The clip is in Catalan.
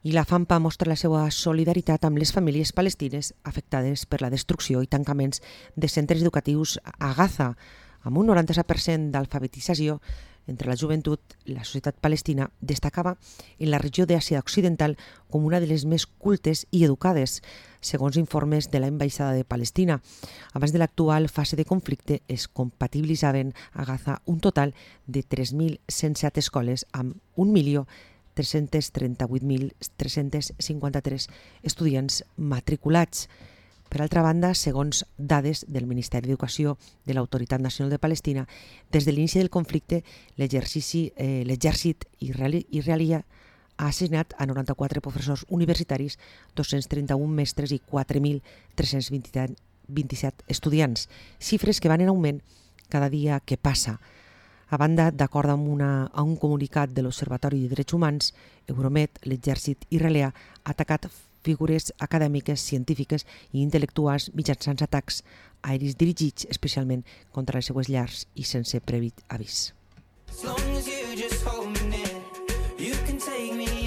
I la FAMPA mostra la seva solidaritat amb les famílies palestines afectades per la destrucció i tancaments de centres educatius a Gaza, amb un 97% d'alfabetització entre la joventut. La societat palestina destacava en la regió d'Àsia Occidental com una de les més cultes i educades, segons informes de l'Ambaixada de Palestina. Abans de l'actual fase de conflicte es compatibilitzaven a Gaza un total de 3.107 escoles amb 1.338.353 estudiants matriculats. Per altra banda, segons dades del Ministeri d'Educació de l'Autoritat Nacional de Palestina, des de l'inici del conflicte, l'exèrcit israelià ha assassinat a 94 professors universitaris, 231 mestres i 4.327 estudiants, xifres que van en augment cada dia que passa. A banda, d'acord amb un comunicat de l'Observatori de Drets Humans, Euromed, l'exèrcit israelià ha atacat figures acadèmiques, científiques i intel·lectuals mitjançant atacs aeris dirigits especialment contra les seues llars i sense previ avís. As long as you just hold me near, you can take me